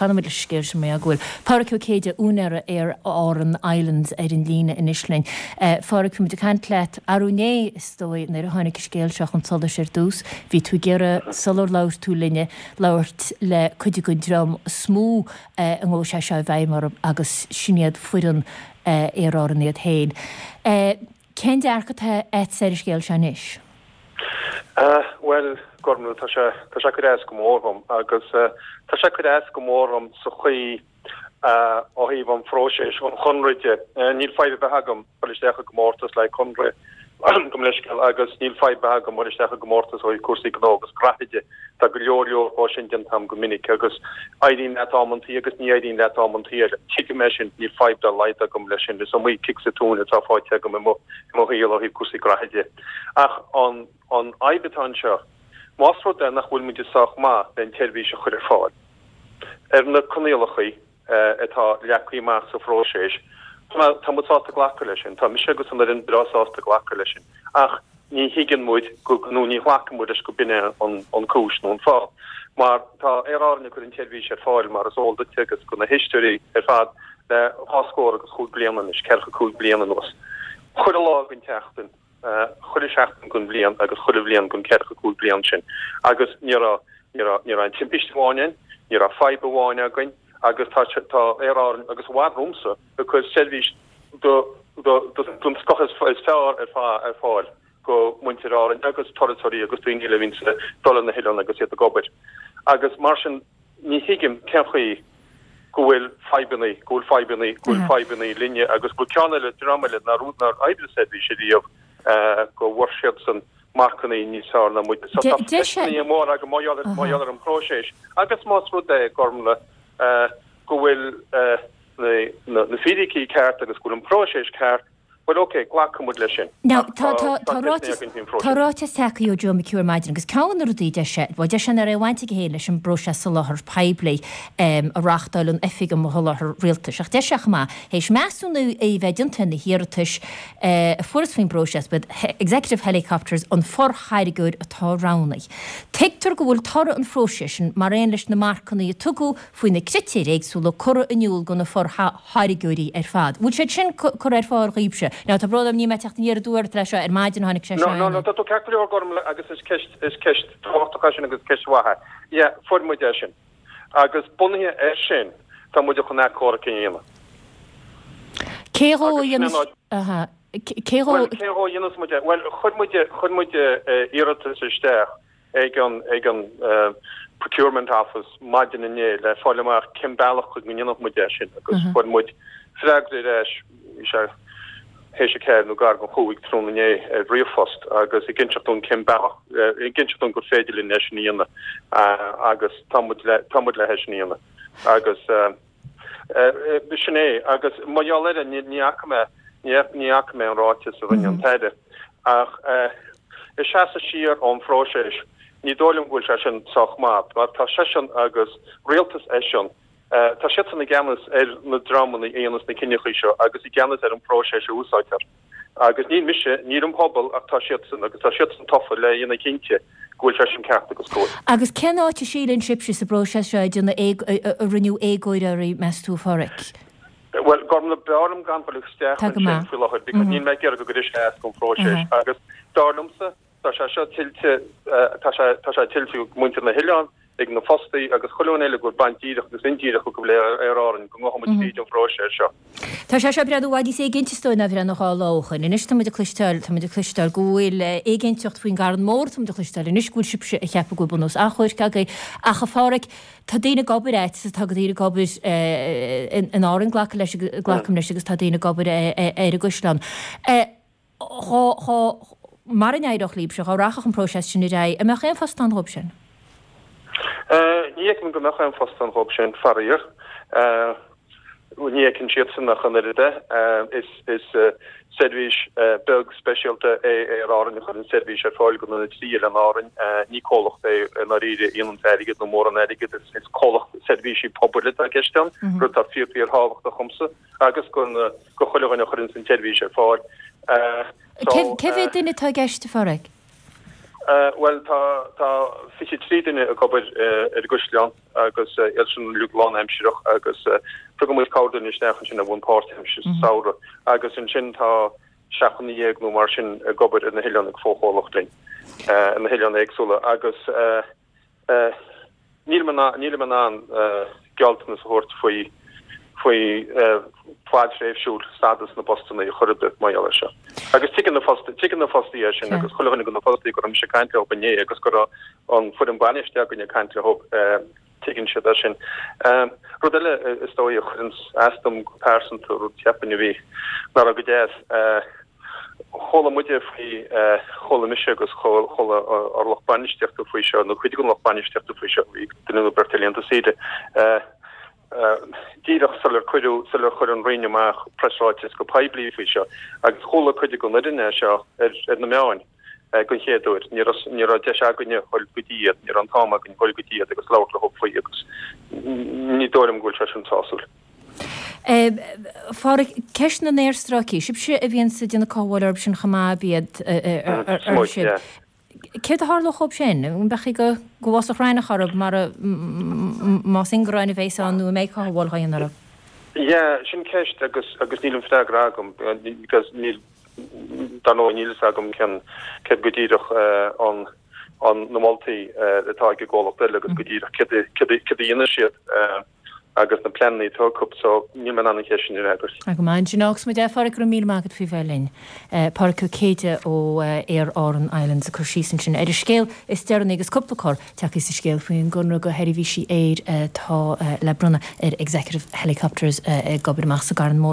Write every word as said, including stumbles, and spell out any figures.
Fanfaidh muid leis an scéal sin mar go bhfuil Pádhraic Ó Céide, úinéara Aer Arann Islands ar an líne anois linn. Pádhraic, bhí muid ag caint leat arú inné, is dóigh, nuair a tháinig an scéal seo chun solais ar dtús. Bhí tú ag iarraidh, sular labhair tú linne, labhairt le cuid den dream is mó a ngabhfaidh sé seo i bhfeidhm orthu agus sin iad foireann Aer Arann iad féin. Cén dearcadh atá agat ar an scéal seo anois? Bhuel, Gormlaith, tá sé tá sé ag cur as go mór dhom agus tá sé ag cur as go mór dhom sa chaoi ó thaobh an phróiseas, an chonradh de. Níl fadhb ar bith agam dul isteach i gcomórtas le conradh, gabh mo leithscéal, agus níl fadhb ar bith agam dul isteach i gcomórtas ó thaobh cúrsaí gnó agus graithe de. Tá go leor leor dhó sin déanta agam go minic agus éiríonn leat amantaí agus ní éiríonn leat amantaí eile. Tuigim é sin, níl fadhb dá laghad agam leis sin. Is iomaí cic sa tóin atá faighte agam i mo i mo shaol ó thaobh cúrsaí graithe de. Ach an an fhadhb atá anseo, más rud é nach bhfuil muid sách maith le an tseirbhís a chur ar fáil ar na coinníollacha atá leagtha amach sa phróiseas, tá muid sásta glacadh leis sin. Tá mise agus an fhoireann breá sásta glacadh leis sin. Ach ní thuigeann muid go, nó ní ghlacann muid leis go b'in é an cúis nó an fáth. Mar tá Aer Árann ag cur an tseirbhís ar fáil, mar is eol duit agus do na héisteoirí ar fad, le dhá scór agus chúig bliana anois, ceathracha cúig bliana anuas. Chuile lá den tseachtain, chuile sheachtain den bhliain agus chuile bhliain den ceathracha cúig bliain sin. Agus ní raibh, ní raibh, ní raibh aon timpiste amháin ann, ní raibh fadhb amháin againn agus tá, tá Aer Árann agus i bhfad romhamsa ag cur seirbhís do, do, do, den scoth is, is fearr ar, ar fáil go muintir Árann agus turasóirí agus daoine eile a bhíonns ag dul ar na hoileáin agus iad ag obair. Agus mar sin ní thuigim cén chaoi go bhfuil fadhbanna, go bhfuil fadhbanna, go bhfuil fadhbanna linne agus go bhfuil ceann eile, dream eile nár nár oibrigh seirbhís ariamh go bhfuair siadsan marcanna níos fearr ná muid. So tá ceisteanna móra agam mar gheall mar gheall ar an bpróiseas agus más rud é, Gormlaith, go bhfuil na na fíricí ceart agus go bhfuil an próiseas ceart, bhuel ok, glacfaidh muid leis sin. Now, tá, tá, tá ráiteas, tá ráiteas tagtha ó Joe McHugh ar maidin agus ceann de na rudaí a deir sé, bhuel deir sé nach raibh aon bhaint aige féin leis an bpróiseas soláthair poiblí a reáchtáil an Oifig um Sholáthar Rialtais ach deir sé chomh maith, théis measúnú a bheith déanta ar na hiarratais a fuarthas faoin bpróiseas, b'iad Executive Helicopters an forthairgeoir atá roghnaithe. Tuigtear go bhfuil toradh an phróisis sin, mar aon leis na marcanna a tugadh faoi na critéir éagsúla, curtha in iúl do na forthairgeoirí ar fad. Bhfuil siad sin curtha ar fáil dhaoibhse? Now, tá brón orm, níl mé ag teacht aniar aduaidh ort leis seo, ar maidin a tháinig sé seo No, no, tá tú ceart go leor, Gormlaith, agus is ceist, is ceist tábhachtach é sin agus ceist mhaith é. Yeah, fuair muid é sin. Agus bunaithe air sin, tá muid chun achomharc a dhéanamh. Cé dhó a dhéanas, aha, cé dhó? Bhuel, cé dhó a dhéanas muid é? Bhuel, chuir muid, chuir muid iarratas isteach ag an, ag an Procurement Office maidin inné le fáil amach cén bealach go ndéanfadh muid é sin agus fuair muid freagra ar ais, bhí sé théis a ceathair nó gar don chúig tráthnóna inné ar ríomhphost agus ag inseacht dúinn cén bealach, ag inseacht dúinn gur féidir linn é sin a dhéanamh agus tá muid le, tá muid le é sin a dhéanamh agus sin é agus mar gheall air ní fhaca mé, ní fhaca mé an ráiteas a rinne an tAire ach ag seasamh siar ón phróiseas ní dóigh liom go bhfuil sé sin sách maith mar tá seisean agus rialtas eisean, tá siadsan i gceannas ar na dreamanna a dhéanas na cinneachaí seo agus i gceannas ar an phróiseas a úsáidtear. Agus ní mise, níl an pobal ach tá siadsan agus tá siadsan tofa le dhéanamh cinnte go bhfuil sé sin ceart agus cóir. Agus cén áit a síleann sibhse sa bpróiseas seo a déanadh a rinneadh éagóir oraibh, meas tú, a Pháraic? Bhuel, Gormlaith, b'fhearr liom gan dul isteach Tá go ansin maith. faoi láthair because níl mé ag iarraidh go gcuirfidh sé as don phróiseas agus dar liomsa tá sé seo tuillte, tá sé tá sé tuillte ag muintir na hoileán, ag na fostaí agus chuile dhuine eile go bhfuil baint díreach agus indíreach acu le Aer Árann go ngabhfaidh muid tríd an phróiseas seo. Tá sé seo ag breathnú i bhfad níos éiginnte is dóigh ná a bhreathnaigh dhá lá ó shoin. Anois tá muid ag cloisteáil, tá muid ag cloisteáil go bhfuil éiginnteacht faoin gCarn Mór, tá muid ag cloisteáil anois go bhfuil sibhse ag ceapadh go bhfuil bunús achomhairc agaibh. Ach a Pháraic, tá daoine ag obair a'd, tá daoine ag obair in Árainn, glacaim leis, glacaim leis agus tá daoine ag obair ar an gCaisleán. Dhá, dhá, mara n-éireodh libhse, dhá rachadh an próiseas sin ar aghaidh, an mbeadh aon phost ann dhóibh sin? Ní fheicim go mbeadh aon phost ann dhóibh sin, faraor. Ní fheiceann siadsan ach an oiread é. Is, is seirbhís beag speisialta é Aer Árann a chuireann seirbhís ar fáil do na trí oileán Árainn. Ní comhlacht é i ndáiríre a dhéanann airgead nó mórán airgid, is, is comhlacht seirbhísí pobail atá i gceist ann, rud atá fíor, fíor thábhachtach dhomsa. agus go chuile dhuine a chuireann an tseirbhís ar fáil. Cé mhéad duine atá i gceist, a Pháraic? Bhuel tá tá fiche trí duine ag obair ar an gcaisleán agus iad sin uilig lánaimsearach agus tugann muid corrdhuine isteach ansin ar bhonn páirtaimseartha sa samhradh agus ansin tá seacht nduine dhéag nó mar sin ag obair ar na hoileáin ag fochomhlacht linn ar na hoileáin éagsúla agus Nílim nílim in ann gealltanas a thabhairt faoi faoi fad tréimhsiúil stádas na bpostanna ar chor ar bith mar gheall air seo. Agus tuigeann na fostaithe tuigeann na fostaithe é sin agus chuile dhuine de na fostaithe go raibh mise ag caint leo inné agus go raibh an foireann bainistí againn ag caint leo tuigeann siad é sin. Rud eile is dóigh a chuireann as dom go pearsanta rud cheapfainn a bhí nach raibh go deas Chuala muide faoi, chuala mise agus chuala ár lucht bainistíochta faoi seo, nó cuid den lucht bainistíochta faoi seo, bhí duine nó beirt ar laethanta saoire, díreach sular cuireadh, sular chuir an Roinn amach preasráiteas go poiblí faoi seo, agus chuala cuid den fhoireann é seo ar na meáin den chéad uair. Ní raibh, ní raibh deis againne a dhul go dtí iad, ní raibh an t-am againn a dhul go dtí iad agus labhairt leo faoi agus ní dóigh liom go bhfuil sé sin sásúil. A Pháraic, ceist na n-aerstráicí, sibhse a bhíonns ag déanamh cothabháil orthu sin chomh maith, ab iad, ar sibh. Céard a tharlódh dhóibh sin? An mbeadh go go bhfásfadh raithneach orthu mar más ingearáin a bhéas ann nó an mbeidh cothabháil á dhéanamh orthu? Yeah, sin ceist agus agus níl an freagra agam because níl dar ndóigh níl fhios agam cén céard go díreach an an na moltaí atá ag an gcomhlacht eile agus go díreach céard céard céard a dhéanfaidh siad. agus na pleananna atá acu so níl mé in ann an cheist sin a fhreagairt. Go maith ansin. Fágfaidh muid é, a Pháraic, go raibh míle maith agat faoi bheith linn. Páraic Ó Céide ó Aer Árann Islands ag cur síos ansin ar an scéal is deireanaí agus cúpla cor tagtha sa scéal faoin gconradh do sheirbhísí aeir atá le bronnadh ar Executive Helicopters ag obair amach sa gCarn Mór.